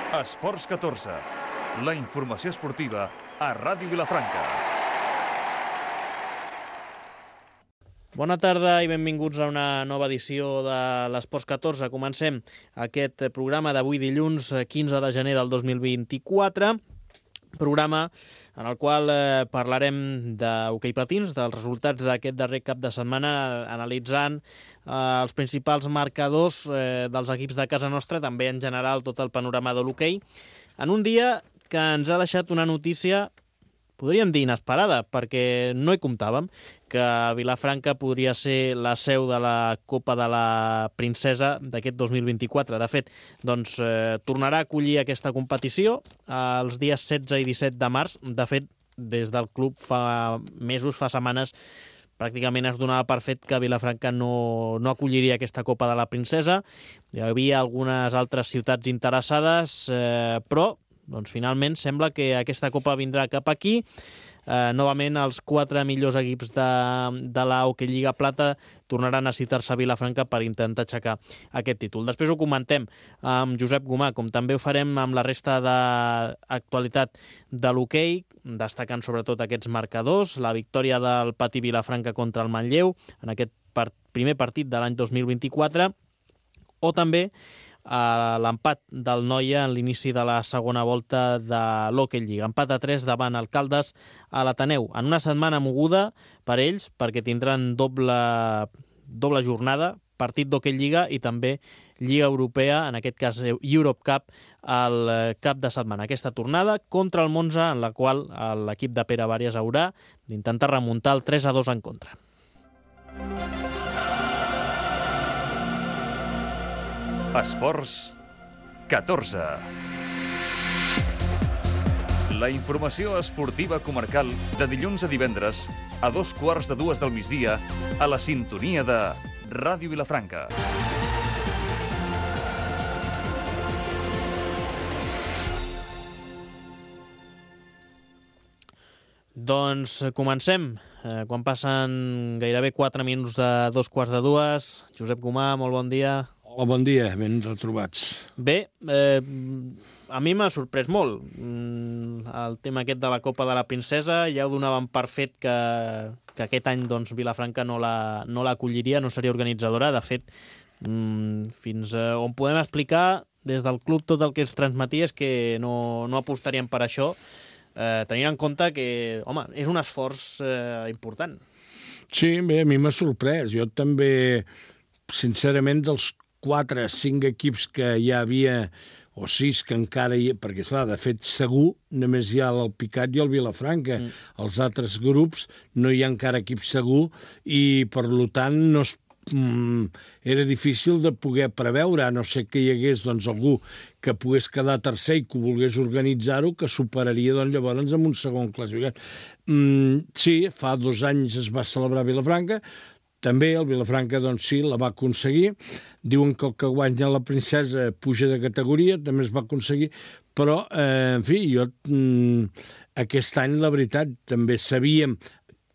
Esports 14, la informació esportiva a Ràdio Vilafranca. Bona tarda i benvinguts a una nova edició de l'Esports 14. Comencem aquest programa d'avui dilluns 15 de gener del 2024, programa en el qual parlarem d'hoquei patins, dels resultats d'aquest darrer cap de setmana, analitzant els principals marcadors dels equips de casa nostra, també en general tot el panorama de l'hoquei, en un dia que ens ha deixat una notícia, podríem dir inesperada, perquè no hi comptàvem, que Vilafranca podria ser la seu de la Copa de la Princesa d'aquest 2024. De fet, doncs, tornarà a acollir aquesta competició els dies 16 i 17 de març. De fet, des del club fa mesos, fa setmanes, pràcticament es donava per fet que Vilafranca no acolliria aquesta Copa de la Princesa. Hi havia algunes altres ciutats interessades, però doncs finalment sembla que aquesta Copa vindrà cap aquí. Novament els 4 millors equips de la Hockey Lliga Plata tornaran a citar-se a Vilafranca per intentar aixecar aquest títol. Després ho comentem amb Josep Gomà, com també ho farem amb la resta d'actualitat de l'hoquei, destacant sobretot aquests marcadors, la victòria del Patí Vilafranca contra el Manlleu en aquest primer partit de l'any 2024, o també l'empat del Noia en l'inici de la segona volta de l'Hockey Lliga. Empat a 3 davant el Caldes a l'Ateneu. En una setmana moguda per ells, perquè tindran doble jornada, partit d'Hockey Lliga i també Lliga Europea, en aquest cas Europe Cup, al cap de setmana. Aquesta tornada contra el Monza, en la qual l'equip de Pere Vàries haurà d'intentar remuntar el 3-2 en contra. Esports 14. La informació esportiva comarcal de dilluns a divendres a 2:15 del migdia a la sintonia de Ràdio Vilafranca. Doncs comencem. Quan passen gairebé 4 minuts de 2:15. Josep Gomà, molt bon dia. Hola, bon dia, ben retrobats. Bé, a mi m'ha sorprès molt el tema aquest de la Copa de la Princesa. Ja ho donàvem per fet que aquest any doncs, Vilafranca no l'acolliria, no seria organitzadora. De fet, fins on podem explicar des del club tot el que ens transmetia és que no apostarien per això, tenint en compte que, home, és un esforç important. Sí, bé, a mi m'ha sorprès. Jo també, sincerament, dels 4-5 equips que ja havia, o 6 que encara hi ha, perquè, esclar, de fet, segur, només hi ha el Picat i el Vilafranca. Els altres grups no hi ha encara equip segur i, per tant, era difícil de poder preveure, a no ser que hi hagués doncs, algú que pogués quedar tercer i que volgués organitzar-ho, que superaria doncs, llavors amb un segon classificat. Sí, fa 2 anys es va celebrar a Vilafranca. També el Vilafranca, doncs sí, la va aconseguir. Diuen que el que guanya la Princesa puja de categoria, també es va aconseguir, però, en fi, aquest any, la veritat, també sabíem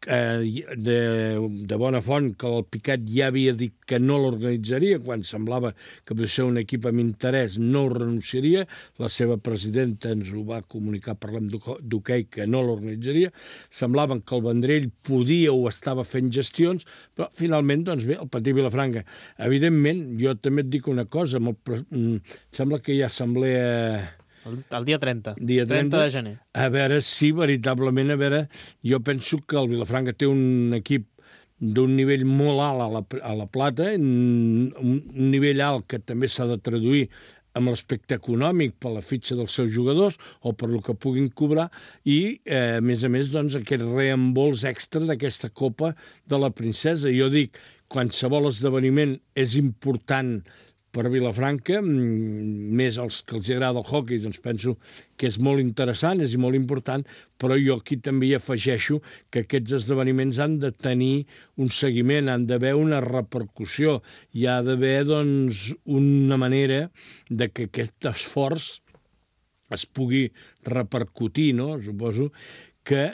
de bona font que el Picat ja havia dit que no l'organitzaria, quan semblava que per ser un equip amb interès no ho renunciaria. La seva presidenta ens ho va comunicar, parlem d'hoquei, que no l'organitzaria. Semblaven que el Vendrell podia o estava fent gestions, però finalment, doncs bé, el Patí Vilafranca. Evidentment, jo també et dic una cosa, sembla que hi ha assemblea El dia 30. Dia 30 de gener. A veure si veritablement, jo penso que el Vilafranca té un equip d'un nivell molt alt a la Plata, un nivell alt que també s'ha de traduir amb l'aspecte econòmic per la fitxa dels seus jugadors o per el que puguin cobrar i, a més, doncs, aquest reembols extra d'aquesta Copa de la Princesa. Jo dic, qualsevol esdeveniment és important per Vilafranca, més els que els agrada el hoquei, doncs penso que és molt interessant, és molt important, però jo aquí també hi afegeixo que aquests esdeveniments han de tenir un seguiment, han d'haver una repercussió, hi ha d'haver, doncs, una manera de que aquest esforç es pugui repercutir, no? Suposo que,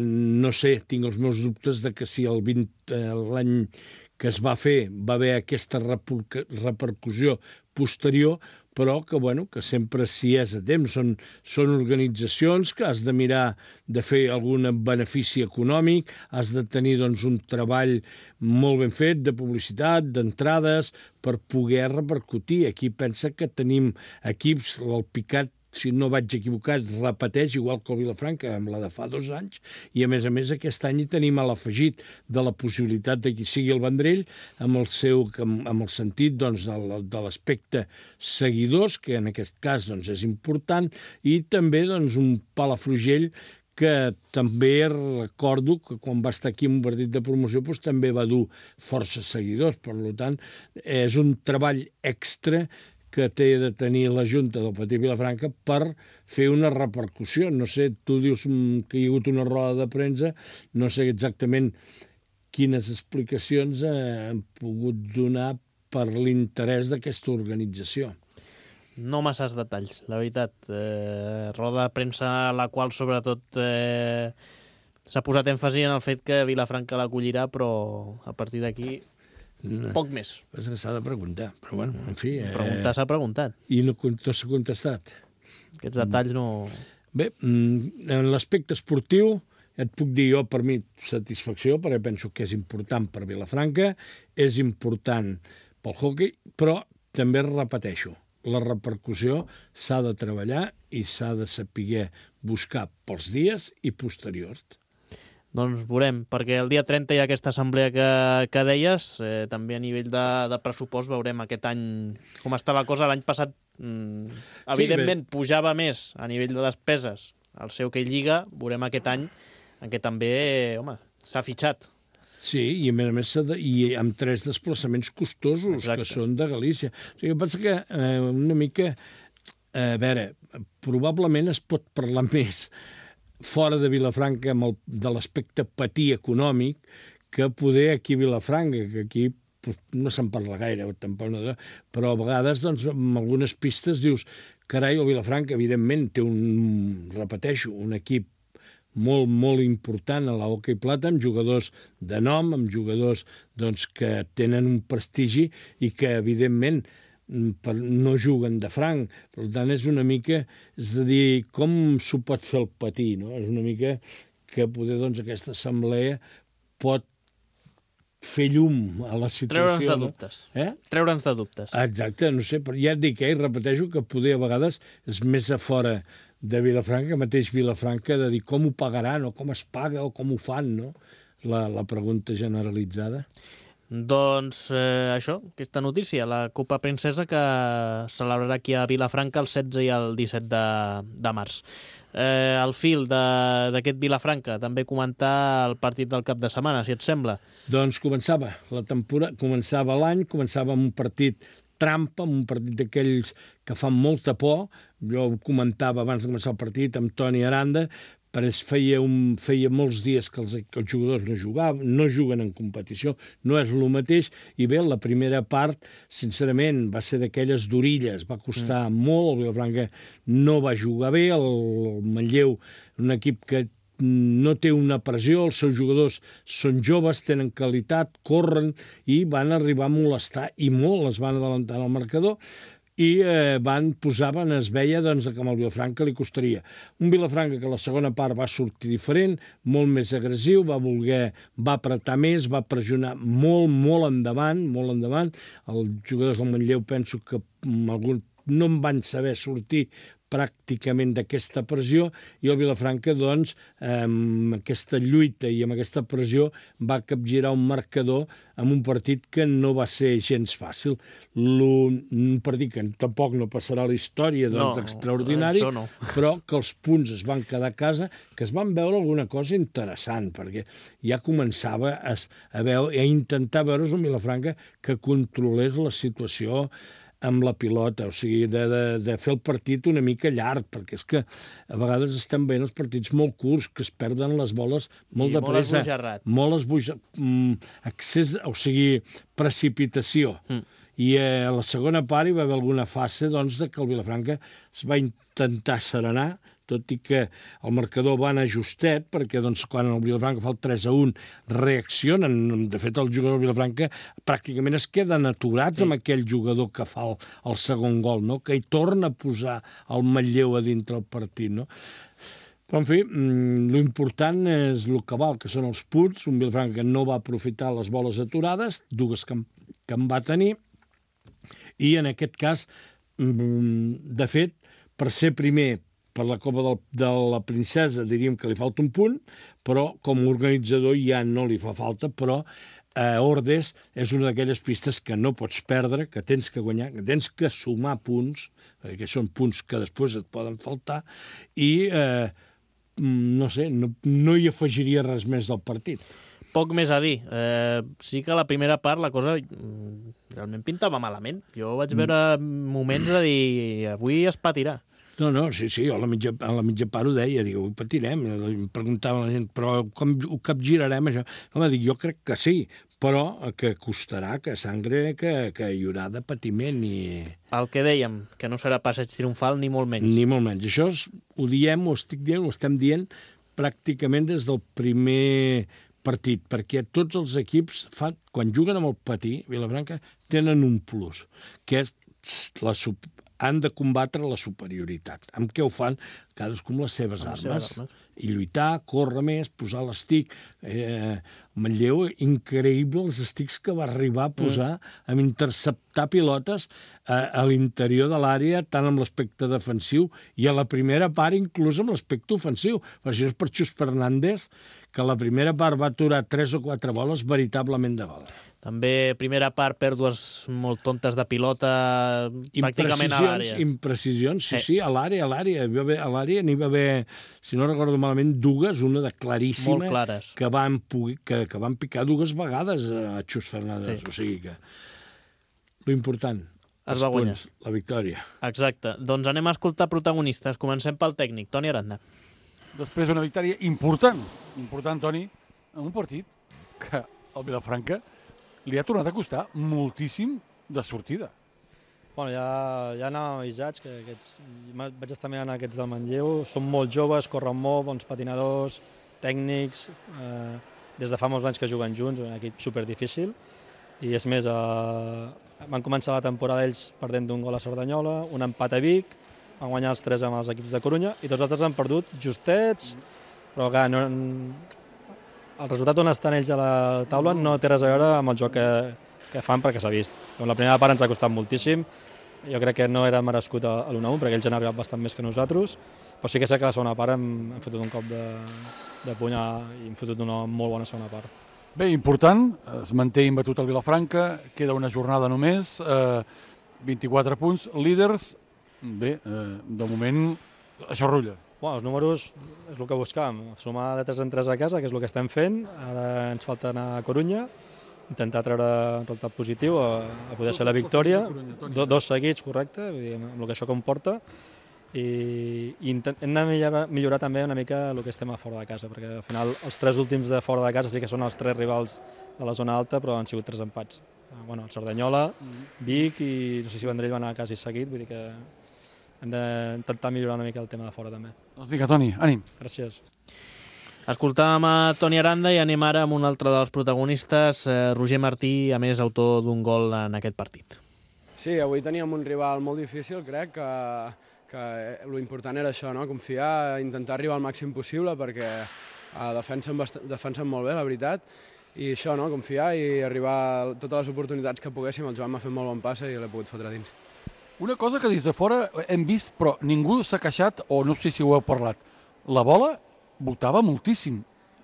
no sé, tinc els meus dubtes de que si l'any que es va fer va haver aquesta repercussió posterior, però que sempre si és a temps. Són organitzacions que has de mirar de fer algun benefici econòmic, has de tenir doncs, un treball molt ben fet de publicitat, d'entrades, per poder repercutir. Aquí pensa que tenim equips, el Picat, si no vaig equivocat, repeteix, igual que el Vilafranca, amb la de fa 2 anys, i a més aquest any hi tenim a l'afegit de la possibilitat de qui sigui el Vendrell, amb el sentit doncs, de l'aspecte seguidors, que en aquest cas doncs, és important, i també doncs, un Palafrugell que també recordo que quan va estar aquí en un partit de promoció doncs, també va dur força seguidors. Per tant, és un treball extra que té de tenir la Junta del Petit Vilafranca per fer una repercussió. No sé, tu dius que hi ha hagut una roda de premsa, no sé exactament quines explicacions han pogut donar per l'interès d'aquesta organització. No masses detalls, la veritat. Roda de premsa a la qual sobretot s'ha posat èmfasi en el fet que Vilafranca l'acollirà, però a partir d'aquí poc més. És que s'ha de preguntar, però bueno, en fi... Preguntar s'ha preguntat. I no s'ha contestat. Aquests detalls no... Bé, en l'aspecte esportiu, et puc dir jo, per mi, satisfacció, perquè penso que és important per Vilafranca, és important pel hoquei, però també repeteixo, la repercussió s'ha de treballar i s'ha de saber buscar pels dies i posteriors. Doncs veurem, perquè el dia 30 hi ha aquesta assemblea que deies, també a nivell de pressupost veurem aquest any com està la cosa. L'any passat, evidentment, pujava més a nivell de despeses el seu que lliga, veurem aquest any en què també, s'ha fitxat. Sí, i a més i amb 3 desplaçaments costosos. Exacte. Que són de Galícia. O sigui, penso que una mica... A veure, probablement es pot parlar més fora de Vilafranca de l'aspecte patir econòmic que poder aquí a Vilafranca, que aquí no se'n parla gaire, tampoc no, però a vegades doncs, amb algunes pistes dius carai, el Vilafranca evidentment té un equip molt, molt important a l'hoquei plata, amb jugadors de nom, amb jugadors doncs, que tenen un prestigi i que evidentment no juguen de franc. Per tant, és una mica, és a dir, com s'ho pot fer el patir, no? És una mica que poder, doncs, aquesta assemblea pot fer llum a la situació. Treure'ns de dubtes. Treure'ns de dubtes. Exacte, no sé, però ja et dic, repeteixo que poder a vegades és més a fora de Vilafranca, mateix Vilafranca, de dir com ho pagaran o com es paga o com ho fan, no? La pregunta generalitzada. Doncs això, aquesta notícia, la Copa Princesa que celebrarà aquí a Vilafranca el 16 i el 17 de març. Al fil d'aquest Vilafranca, també comentar el partit del cap de setmana, si et sembla. Doncs començava la temporada, començava l'any, començava amb un partit trampa, un partit d'aquells que fan molta por. Jo ho comentava abans de començar el partit amb Toni Aranda, però feia molts dies que els jugadors no juguen en competició, no és el mateix, i bé, la primera part, sincerament, va ser d'aquelles d'orilles, va costar molt, el Vilafranca no va jugar bé, el Manlleu, un equip que no té una pressió, els seus jugadors són joves, tenen qualitat, corren, i van arribar a molestar, i molt es van adelantar al marcador, i es veia doncs, que amb el Vilafranca li costaria. Un Vilafranca que la segona part va sortir diferent, molt més agressiu, va apretar més, va pressionar molt endavant. Els jugadors del Manlleu penso que no en van saber sortir pràcticament d'aquesta pressió, i el Vilafranca, doncs, amb aquesta lluita i amb aquesta pressió va capgirar un marcador en un partit que no va ser gens fàcil. Un partit que tampoc no passarà a la història, doncs, extraordinari, però que els punts es van quedar a casa, que es van veure alguna cosa interessant, perquè ja començava a intentar veure's un Vilafranca que controlés la situació amb la pilota, o sigui, de fer el partit una mica llarg, perquè és que a vegades estan veient els partits molt curts, que es perden les boles molt de pressa. Molt esbojarrat. Accés, o sigui, precipitació. I a la segona part hi va haver alguna fase doncs, que el Vilafranca es va intentar serenar, tot i que el marcador va anar justet, perquè doncs, quan el Vilafranca fa el 3-1 reaccionen. De fet, el jugador del Vilafranca pràcticament es queden aturats amb aquell jugador que fa el segon gol, no? Que hi torna a posar el Manlleu a dintre el partit. No? Però, en fi, l'important és el que val, que són els punts. Un Vilafranca que no va aprofitar les boles aturades, dues que en va tenir, i en aquest cas, de fet, per ser primer per la Copa de la Princesa diríem que li falta un punt, però com a organitzador ja no li fa falta, però Ordes és una d'aquelles pistes que no pots perdre, que tens que guanyar, que tens que sumar punts, perquè són punts que després et poden faltar, i no sé, no hi afegiria res més del partit. Poc més a dir. Sí que a la primera part la cosa realment pintava malament. Jo vaig veure moments de dir avui es patirà. No, sí, a la mitja part ho deia, dic, avui patirem. Em preguntava la gent, però com ho capgirarem, això? Home, dic, jo crec que sí, però que costarà, que sangre, que hi haurà de patiment. El que dèiem, que no serà passeig triomfal ni molt menys. Ni molt menys. Això ho diem, ho estem dient pràcticament des del primer partit, perquè tots els equips, quan juguen amb el patí, Vilafranca, tenen un plus, que és han de combatre la superioritat. Amb què ho fan? Cadascú amb les seves armes. I lluitar, córrer més, posar l'estic. Manlleu, increïble els estics que va arribar a posar amb interceptar pilotes a l'interior de l'àrea, tant amb l'aspecte defensiu i a la primera part inclús amb l'aspecte ofensiu. Per això és per Xus Fernández, que la primera part va aturar 3 o 4 boles veritablement de gol. També, primera part, pèrdues molt tontes de pilota pràcticament a l'àrea. Imprecisions, sí, a l'àrea. A l'àrea n'hi va haver, si no recordo malament, dues, una de claríssima, molt clares, que van picar dues vegades a Xus Fernández. Sí. O sigui que l'important, els punts, la victòria. Exacte. Doncs anem a escoltar protagonistes. Comencem pel tècnic, Toni Aranda. Després d'una victòria important, Toni, en un partit que el Vilafranca li ha tornat a costar moltíssim de sortida. Bueno, ja anàvem avisats, que vaig estar mirant aquests del Manlleu, són molt joves, corren molt, bons patinadors, tècnics, des de fa molts anys que juguen junts, un equip superdifícil, i és més, van començar la temporada ells perdent d'un gol a Cerdanyola, un empat a Vic, van guanyar els 3 amb els equips de Corunya, i tots els altres han perdut justets, però clar, el resultat on estan ells a la taula no té res a veure amb el joc que fan, perquè s'ha vist. La primera part ens ha costat moltíssim, jo crec que no era merescut a l'1-1, perquè ells han arribat bastant més que nosaltres, però sí que sé que a la segona part hem fotut un cop de puny i hem fotut una molt bona segona part. Bé, important, es manté imbatut el Vilafranca, queda una jornada només, 24 punts, líders. Bé, de moment, això rutlla. Bueno, els números és el que buscàvem, sumar de 3 en 3 a casa, que és el que estem fent. Ara ens falta anar a Corunya, intentar treure un resultat positiu, a poder ser la victòria. 2 seguits, correcte, amb el que això comporta. I hem de millorar també una mica el que estem a fora de casa, perquè al final els 3 últims de fora de casa sí que són els 3 rivals de la zona alta, però han sigut 3 empats. Bueno, el Cerdanyola, Vic i no sé si Vendrell va anar quasi seguit, vull dir que hem d'intentar millorar una mica el tema de fora també. Doncs vinga, Toni, ànim. Gràcies. Escoltàvem a Toni Aranda i anem ara amb un altre dels protagonistes, Roger Martí, a més autor d'un gol en aquest partit. Sí, avui teníem un rival molt difícil, crec que l'important era això, no? Confiar, intentar arribar al màxim possible, perquè defensen molt bé, la veritat, i això, no? Confiar i arribar a totes les oportunitats que poguéssim. El Joan m'ha fet molt bon passe i l'he pogut fotre dins. Una cosa que des de fora hem vist, però ningú s'ha queixat, o no sé si ho heu parlat, la bola botava moltíssim.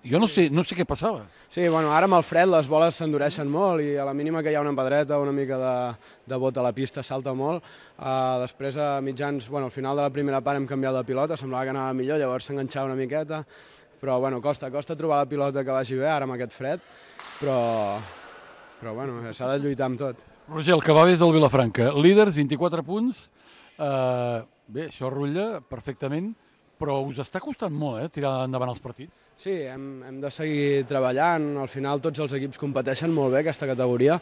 Jo no sé què passava. Sí, bueno, ara amb el fred les boles s'endureixen molt i a la mínima que hi ha una pedreta o una mica de bot a la pista salta molt. Després, a mitjans, al final de la primera part hem canviat de pilota, semblava que anava millor, llavors s'enganxava una miqueta, però costa trobar la pilota que vagi bé ara amb aquest fred, però s'ha de lluitar amb tot. Roger, el que va bé és el Vilafranca. Líders, 24 punts. Bé, això rutlla perfectament. però us està costant molt, tirar endavant els partits? Sí, hem de seguir treballant. Al final tots els equips competeixen molt bé aquesta categoria.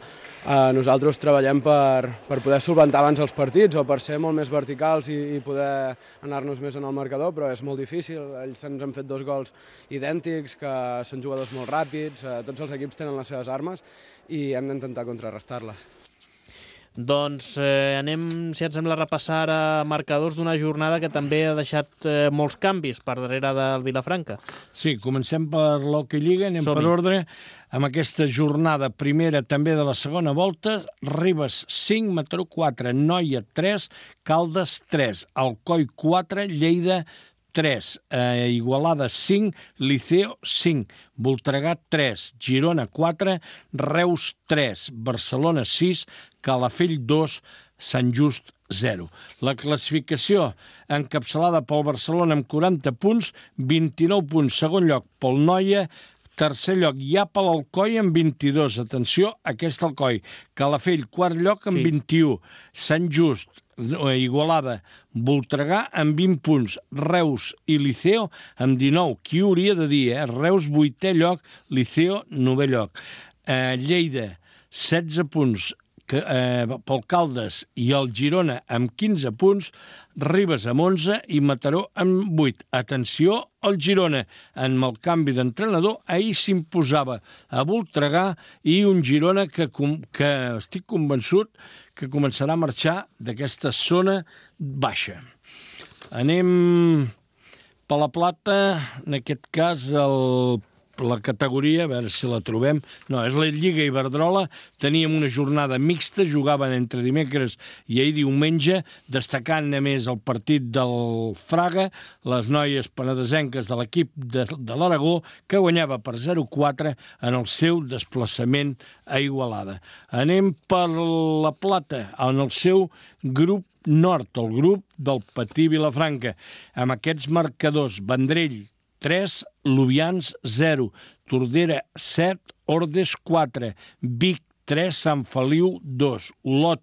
Nosaltres treballem per poder solventar abans els partits o per ser molt més verticals i poder anar-nos més en el marcador, però és molt difícil. Ells ens han fet 2 gols idèntics, que són jugadors molt ràpids, tots els equips tenen les seves armes i hem d'intentar contrarrestar-les. Doncs anem, si et sembla, a repassar ara marcadors d'una jornada que també ha deixat molts canvis per darrere del Vilafranca. Sí, comencem per l'Hockey Lliga, anem per ordre. Amb aquesta jornada primera també de la segona volta, Ribes 5, Mataró 4, Noia 3, Caldes 3, Alcoi 4, Lleida 3, Igualada 5, Liceo 5, Voltregà 3, Girona 4, Reus 3, Barcelona 6, Calafell 2, Sant Just 0. La classificació encapçalada pel Barcelona amb 40 punts, 29 punts, segon lloc pel Noia, tercer lloc ja per l'Alcoi amb 22. Atenció, aquest Alcoi. Calafell, quart lloc amb 21. Sant Just, Igualada, Voltregà amb 20 punts, Reus i Liceo amb 19. Qui ho hauria de dir, Reus 8è lloc, Liceo 9è lloc. Lleida, 16 punts, pel Caldes i el Girona amb 15 punts, Ribes amb 11 i Mataró amb 8. Atenció al Girona, amb el canvi d'entrenador, ahir s'imposava a Voltregà i un Girona que estic convençut que començarà a marxar d'aquesta zona baixa. Anem per la plata, en aquest cas la categoria, a veure si la trobem. No, és la Lliga Iberdrola. Teníem una jornada mixta, jugaven entre dimecres i ahir diumenge, destacant a més el partit del Fraga, les noies penedesenques de l'equip de l'Aragó, que guanyava per 0-4 en el seu desplaçament a Igualada. Anem per la plata, en el seu grup nord, el grup del Patí Vilafranca, amb aquests marcadors: Vendrell 3, Lubians 0, Tordera 7, Ordes 4, Vic 3, Sant Feliu 2, Olot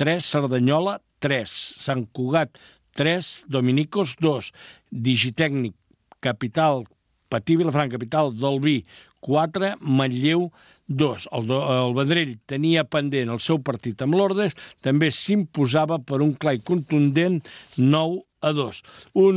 3, Cerdanyola 3, Sant Cugat 3, Dominicos 2, Digitècnic Capital, Patí Vilafranca, Capital del Vi 4, Manlleu 2. El Vendrell tenia pendent el seu partit amb l'Ordes, també s'imposava per un clar i contundent 9-2. Un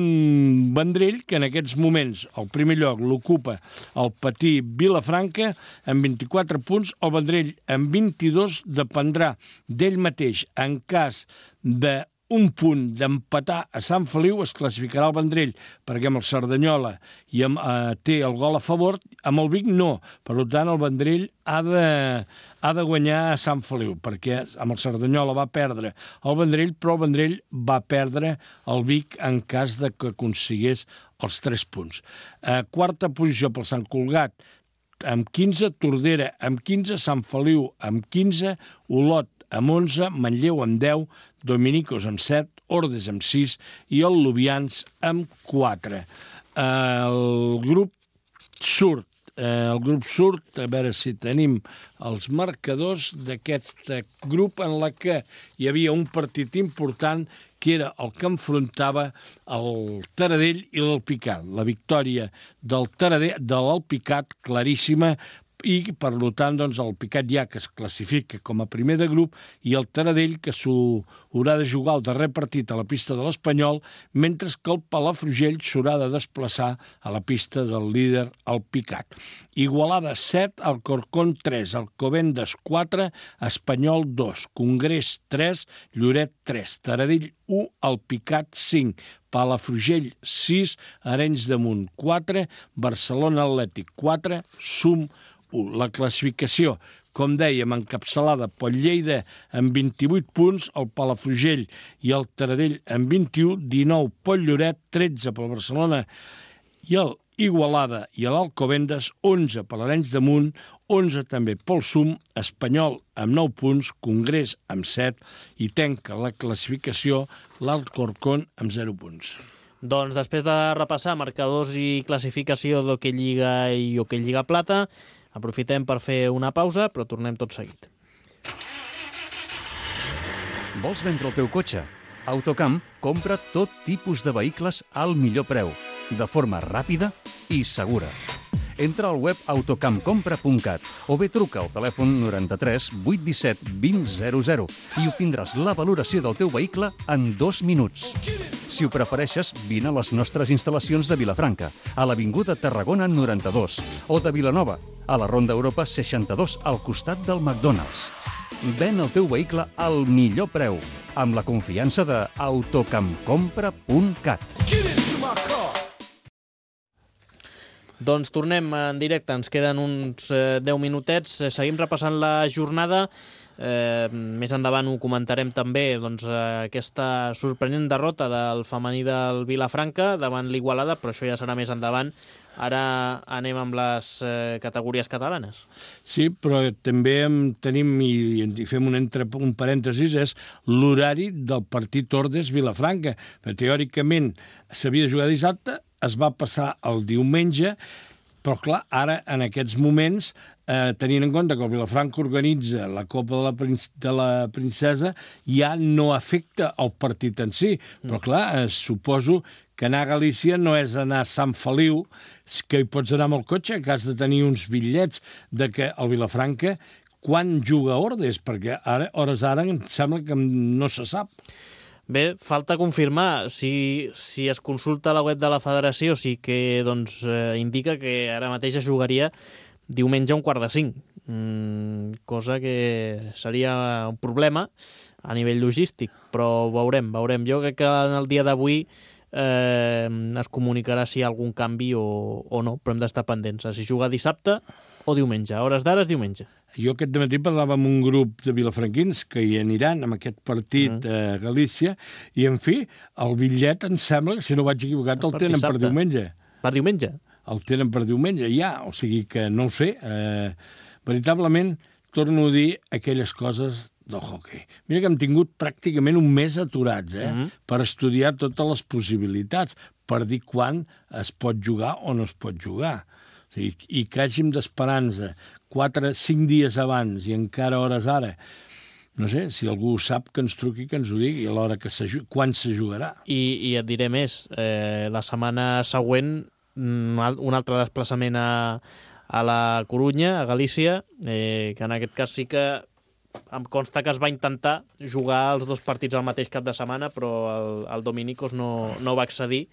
Vendrell que en aquests moments el primer lloc l'ocupa el Patí Vilafranca amb 24 punts, el Vendrell amb 22, dependrà d'ell mateix. En cas d'un punt d'empatar a Sant Feliu es classificarà el Vendrell, perquè amb el Cerdanyola té el gol a favor, amb el Vic no. Per tant, el Vendrell ha de guanyar a Sant Feliu, perquè amb el Cerdanyola va perdre el Vendrell, però el Vendrell va perdre el Vic en cas de que aconseguís els 3 punts. Quarta posició pel Sant Cugat amb 15, Tordera amb 15, Sant Feliu amb 15, Olot amb 11, Manlleu amb 10, Dominicos amb 7, Ordes amb 6 i el Lubians amb 4. El grup surt, a veure si tenim els marcadors d'aquest grup en la que hi havia un partit important que era el que enfrontava el Taradell i l'Alpicat. La victòria del Taradell, de l'Alpicat, claríssima, i, per tant, doncs, el Picat ja que es classifica com a primer de grup i el Taradell que s'ho haurà de jugar el darrer partit a la pista de l'Espanyol, mentre que el Palafrugell s'haurà de desplaçar a la pista del líder, el Picat. Igualada 7, Alcorcón 3, Alcobendas 4, Espanyol 2, Congrés 3, Lloret 3, Taradell 1, Alpicat 5, Palafrugell 6, Arenys de Munt 4, Barcelona Atlètic 4, Sum 1. La classificació, com dèiem, encapçalada pel Lleida amb 28 punts, el Palafrugell i el Taradell amb 21, 19 pel Lloret, 13 pel Barcelona i el Igualada i l'Alcobendas, 11 per l'Arenys de Munt, 11 també pel Sum, Espanyol amb 9 punts, Congrés amb 7 i tanca la classificació l'Alcorcón amb 0 punts. Doncs després de repassar marcadors i classificació d'Hockey Lliga i Hockey Lliga Plata, aprofitem per fer una pausa, però tornem tot seguit. Vols vendre el teu cotxe? Autocamp compra tot tipus de vehicles al millor preu. de forma ràpida i segura. Entra al web autocampcompra.cat o bé truca al telèfon 93 817 2000 i obtindràs la valoració del teu vehicle en 2 minuts. Si ho prefereixes, vine a les nostres instal·lacions de Vilafranca, a l'Avinguda Tarragona 92, o de Vilanova, a la Ronda Europa 62, al costat del McDonald's. Ven el teu vehicle al millor preu, amb la confiança de autocampcompra.cat. Doncs tornem en directe, ens queden uns 10 minutets, seguim repassant la jornada, més endavant ho comentarem també, doncs, aquesta sorprenent derrota del femení del Vilafranca davant l'Igualada, però això ja serà més endavant. Ara anem amb les categories catalanes. Sí, però també tenim, i fem un parèntesis, és l'horari del partit Ordes-Vilafranca. Teòricament s'havia de jugar dissabte, es va passar el diumenge, però clar, ara en aquests moments, tenint en compte que el Vilafranca organitza la Copa de la Princesa, ja no afecta el partit en si. Però clar, suposo que anar a Galícia no és anar a Sant Feliu, que hi pots anar amb el cotxe, que has de tenir uns bitllets de que el Vilafranca quan juga a Ordes, perquè ara, hores ara, em sembla que no se sap. Bé, falta confirmar. Si es consulta la web de la federació, sí que doncs, indica que ara mateix es jugaria diumenge a 4:45, cosa que seria un problema a nivell logístic, però veurem. Jo crec que en el dia d'avui es comunicarà si hi ha algun canvi o no, però hem d'estar pendents. Si juga dissabte o diumenge. A hores d'ara és diumenge. Jo aquest matí parlava amb un grup de vilafranquins que hi aniran amb aquest partit a Galícia i, en fi, el bitllet em sembla que, si no vaig equivocat, el tenen per diumenge. Per diumenge? El tenen per diumenge, ja. O sigui que, no ho sé, veritablement, torno a dir aquelles coses del hoquei. Mira que hem tingut pràcticament un mes aturats, per estudiar totes les possibilitats, per dir quan es pot jugar o no es pot jugar. O sigui, i que hàgim d'esperança 4-5 dies abans i encara hores ara. No sé, si algú sap que ens truqui, que ens ho digui a l'hora que quan se jugarà. I et diré més, la setmana següent un altre desplaçament a la Corunya, a Galícia, que en aquest cas sí que em consta que es va intentar jugar els dos partits al mateix cap de setmana, però el Dominicos no va accedir.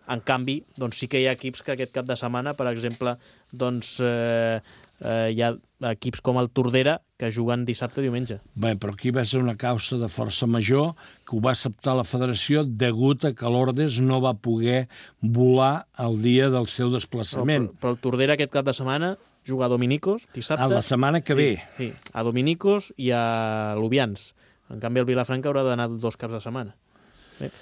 En canvi, doncs sí que hi ha equips que aquest cap de setmana, per exemple, doncs hi ha equips com el Tordera que juguen dissabte i diumenge. Bé, però aquí va ser una causa de força major que ho va acceptar la federació degut a que l'Ordes no va poder volar el dia del seu desplaçament. Però el Tordera aquest cap de setmana juga a Dominicos dissabte. A la setmana que ve. Sí, a Dominicos i a Lubians. En canvi, el Vilafranca haurà d'anar 2 caps de setmana. Bé.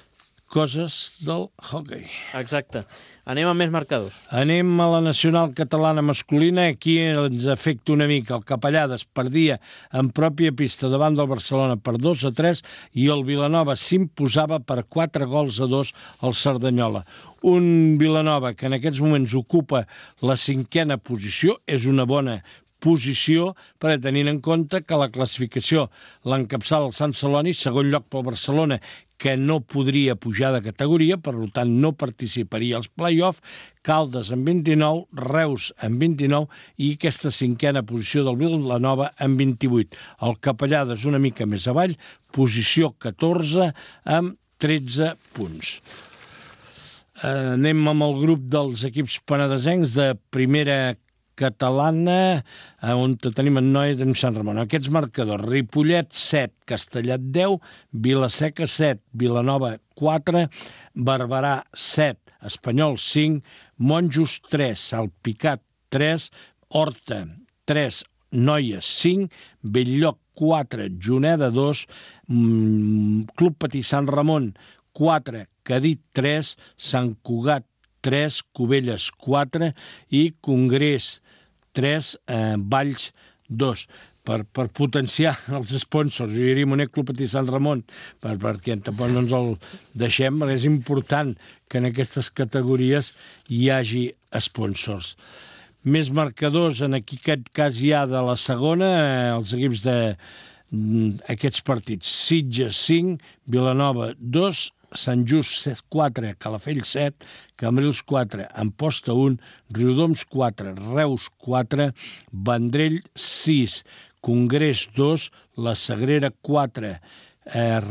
Coses del hoquei. Exacte. Anem amb més marcadors. Anem a la nacional catalana masculina. Aquí ens afecta una mica. El Capellades perdia en pròpia pista davant del Barcelona per 2-3 i el Vilanova s'imposava per 4-2 al Cerdanyola. Un Vilanova que en aquests moments ocupa la 5a posició, és una bona posició per tenir en compte que la classificació l'encapçala el Sant Celoni, segon lloc pel Barcelona, que no podria pujar de categoria, per tant no participaria als play-off, Caldes amb 29, Reus amb 29 i aquesta 5a posició del Vilanova amb 28. El Capellades una mica més avall, posició 14 amb 13 punts. Anem amb el grup dels equips penedesencs de primera catalana, on tenim en Noia de Sant Ramon. Aquests marcadors: Ripollet 7, Castellet 10, Vilaseca 7, Vilanova 4, Barberà 7, Espanyol 5, Monjos 3, Salpicat 3, Horta 3, Noies 5, Belllloc 4, Juneda 2, Club Patí Sant Ramon 4, Cadit 3, Sant Cugat 3, Cubelles 4 i Congrés 3, Valls 2. Per potenciar els sponsors. Jo diria Monet Club Patí Sant Ramon, perquè tampoc no ens el deixem, perquè és important que en aquestes categories hi hagi sponsors. Més marcadors, en aquest cas hi ha de la segona, els equips d'aquests partits. Sitges 5, Vilanova 2, Sant Just 4, Calafell 7, Cambrils 4, Amposta 1, Riudoms 4, Reus 4, Vendrell 6, Congrés 2, La Sagrera 4,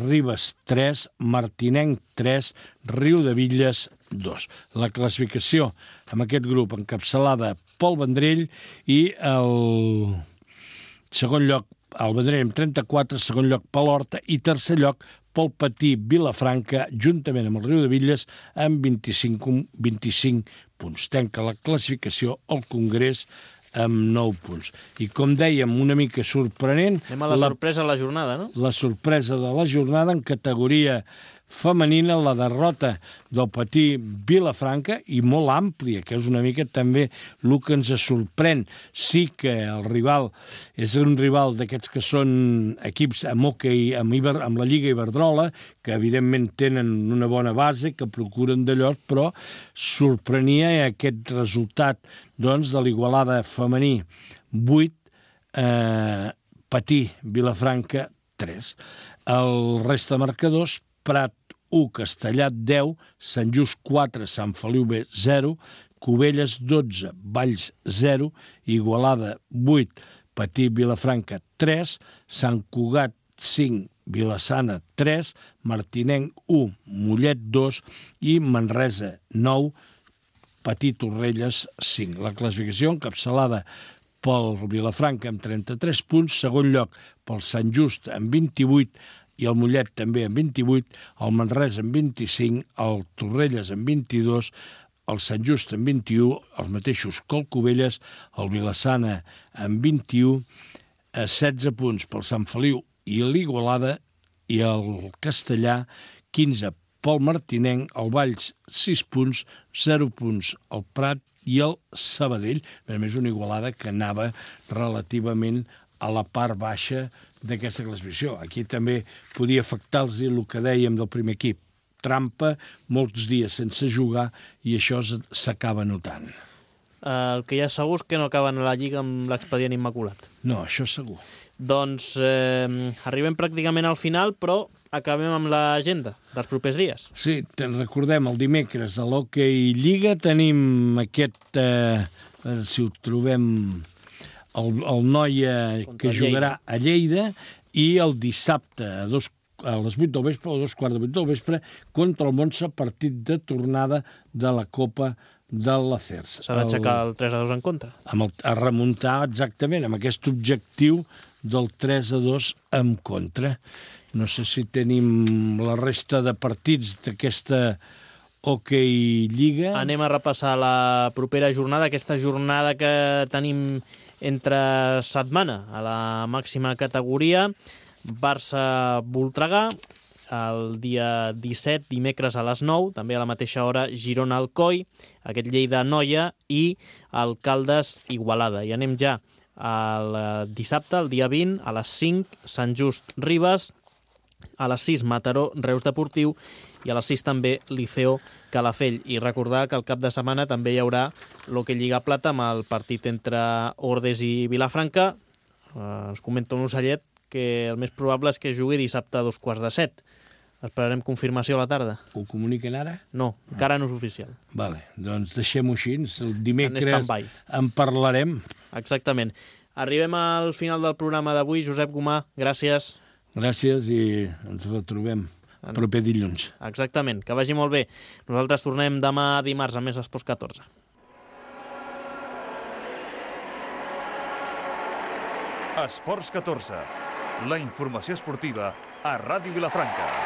Ribes 3, Martinenc 3, Riudebitlles 2. La classificació amb aquest grup encapçalada pel Vendrell i el segon lloc el Vendrell amb 34, segon lloc per l'Horta i tercer lloc pel Patí Vilafranca, juntament amb el Riudebitlles, amb 25 punts. Tanca la classificació al Congrés amb 9 punts. I com dèiem, una mica sorprenent... Anem a la sorpresa de la jornada, no? La sorpresa de la jornada en categoria femenina, la derrota del Patí Vilafranca, i molt àmplia, que és una mica també el que ens sorprèn. Sí que el rival és un rival d'aquests que són equips amb hoquei, amb la Lliga Iberdrola, que evidentment tenen una bona base, que procuren d'allò, però sorprenia aquest resultat doncs, de l'Igualada femení 8, Patí Vilafranca 3. El resta de marcadors: Prat 1, Castellà 10, Sant Just 4, Sant Feliu B 0, Cubelles 12, Valls 0, Igualada 8, Patí Vilafranca 3, Sant Cugat 5, Vilassana 3, Martinenc 1, Mollet 2 i Manresa 9, Patí Torrelles 5. La classificació encapçalada pel Vilafranca amb 33 punts, segon lloc pel Sant Just amb 28 i el Mollet també amb 28, el Manresa amb 25, el Torrelles amb 22, el Sant Just amb 21, els mateixos que el Cubelles, el Vilassana amb 21, 16 punts pel Sant Feliu i l'Igualada, i el Castellà 15 pel Martinenc, el Valls 6 punts, 0 punts el Prat i el Sabadell, a més una Igualada que anava relativament a la part baixa d'aquesta classificació. Aquí també podia afectar-los el que dèiem del primer equip. Trampa, molts dies sense jugar, i això s'acaba notant. El que ja segur és que no acaben a la Lliga amb l'expedient immaculat. No, això segur. Doncs arribem pràcticament al final, però acabem amb l'agenda dels propers dies. Sí, recordem, el dimecres a l'Hockey Lliga tenim aquest, si ho trobem, el Noia que jugarà a Lleida, i el dissabte a les 8 del vespre o a 7:15 del vespre contra el Montse, partit de tornada de la Copa de la CERS. S'ha d'aixecar el 3-2 en contra. A remuntar exactament amb aquest objectiu del 3-2 en contra. No sé si tenim la resta de partits d'aquesta Hockey Lliga. Anem a repassar la propera jornada, aquesta jornada que tenim entre setmana a la màxima categoria. Barça-Voltregà, el dia 17, dimecres a les 9, també a la mateixa hora Girona-Alcoi, aquest Lleida-Noia i el Caldes-Igualada. I anem ja al dissabte, el dia 20, a les 5, Sant Just-Ribes, a les 6, Mataró-Reus Deportiu, i a les 6 també Liceo-Calafell. I recordar que el cap de setmana també hi haurà l'Hockey Lliga Plata amb el partit entre Ordes i Vilafranca. Ens comenta un ocellet que el més probable és que jugui dissabte a 2:15. Esperarem confirmació a la tarda. Ho comuniquen ara? No, encara no és oficial. Vale, doncs deixem-ho així. El dimecres en parlarem. Exactament. Arribem al final del programa d'avui. Josep Gomà, gràcies. Gràcies i ens retrobem proper dilluns. Exactament, que vagi molt bé. Nosaltres tornem demà dimarts a Més Esports 14. Esports 14, la informació esportiva a Ràdio Vilafranca.